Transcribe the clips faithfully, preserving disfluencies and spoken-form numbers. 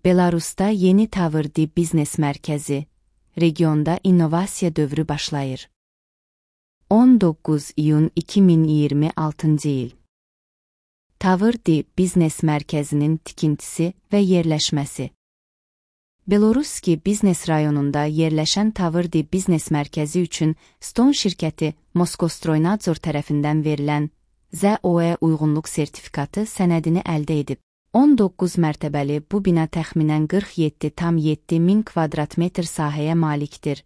Belarusda yeni Tavrdi biznes mərkəzi, regionda innovasiya dövrü başlayır. on doqquz iyun iki min iyirmi altıncı il. Tavrdi biznes mərkəzinin tikintisi və yerləşməsi. Beloruski biznes rayonunda yerləşən Tavrdi biznes mərkəzi üçün Ston şirkəti Moskostroynadzor tərəfindən verilən Z O E uyğunluq sertifikatı sənədini əldə edib. on doqquz mərtəbəli bu bina təxminən qırx yeddi tam yeddi min kvadrat metr sahəyə malikdir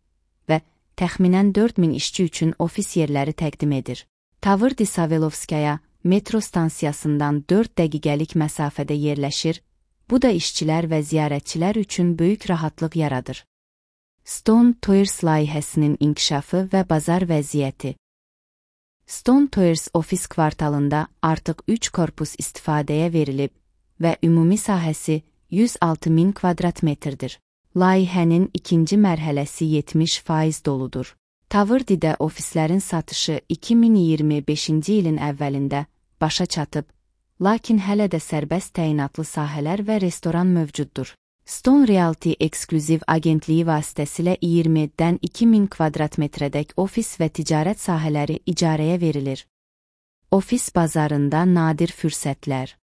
və təxminən dörd min işçi üçün ofis yerləri təqdim edir. Tavrdi Savelovskaya metro stansiyasından dörd dəqiqəlik məsafədə yerləşir, bu da işçilər və ziyarətçilər üçün böyük rahatlıq yaradır. Ston Tours layihəsinin inkişafı və bazar vəziyyəti. Ston Tours ofis kvartalında artıq üç korpus istifadəyə verilib və ümumi sahəsi yüz altı min kvadrat metrdir. Layihənin ikinci mərhələsi yetmiş faiz doludur. Tavrdidə ofislərin satışı iki min iyirmi beşinci ilin əvvəlində başa çatıb, lakin hələ də sərbəst təyinatlı sahələr və restoran mövcuddur. Ston Realty eksklüziv agentliyi vasitəsilə iyirmidən iki min kvadrat metrədək ofis və ticarət sahələri icarəyə verilir. Ofis bazarında nadir fürsətlər.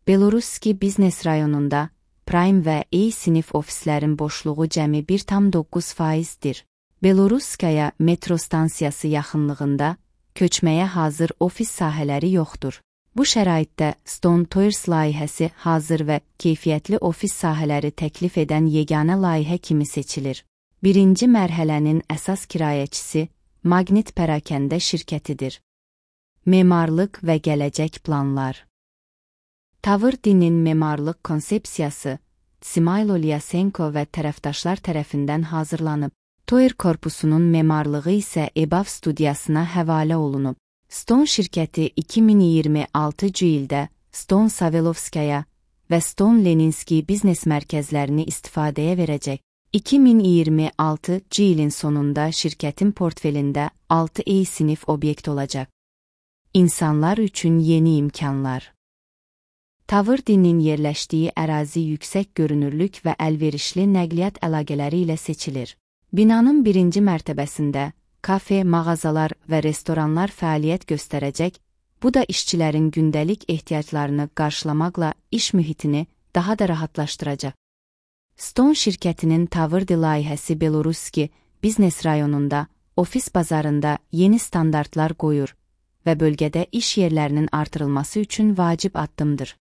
Beloruski biznes rayonunda Prime və E sinif ofislərin boşluğu cəmi bir tam doqquz faizdir. Beloruskaya metro stansiyası yaxınlığında köçməyə hazır ofis sahələri yoxdur. Bu şəraitdə Ston Tours layihəsi hazır və keyfiyyətli ofis sahələri təklif edən yeganə layihə kimi seçilir. Birinci mərhələnin əsas kirayəçisi Magnit Pərakəndə şirkətidir. Memarlıq və gələcək planlar. Tavrdinin memarlıq konsepsiyası Smaylo Lyasenko və tərəfdaşlar tərəfindən hazırlanıb. Tour korpusunun memarlığı isə E B A V studiyasına həvalə olunub. Ston şirkəti iki min iyirmi altıncı ildə Ston Savelovskaya və Ston Leninski biznes mərkəzlərini istifadəyə verəcək. iki min iyirmi altıncı ilin sonunda şirkətin portfelində altı E sinif obyekt olacaq. İnsanlar üçün yeni imkanlar. Tavrdinin yerləşdiyi ərazi yüksək görünürlük və əlverişli nəqliyyat əlaqələri ilə seçilir. Binanın birinci mərtəbəsində kafe, mağazalar və restoranlar fəaliyyət göstərəcək, bu da işçilərin gündəlik ehtiyaclarını qarşılamaqla iş mühitini daha da rahatlaşdıracaq. Ston şirkətinin Tavrdi layihəsi Beloruski biznes rayonunda, ofis bazarında yeni standartlar qoyur və bölgədə iş yerlərinin artırılması üçün vacib addımdır.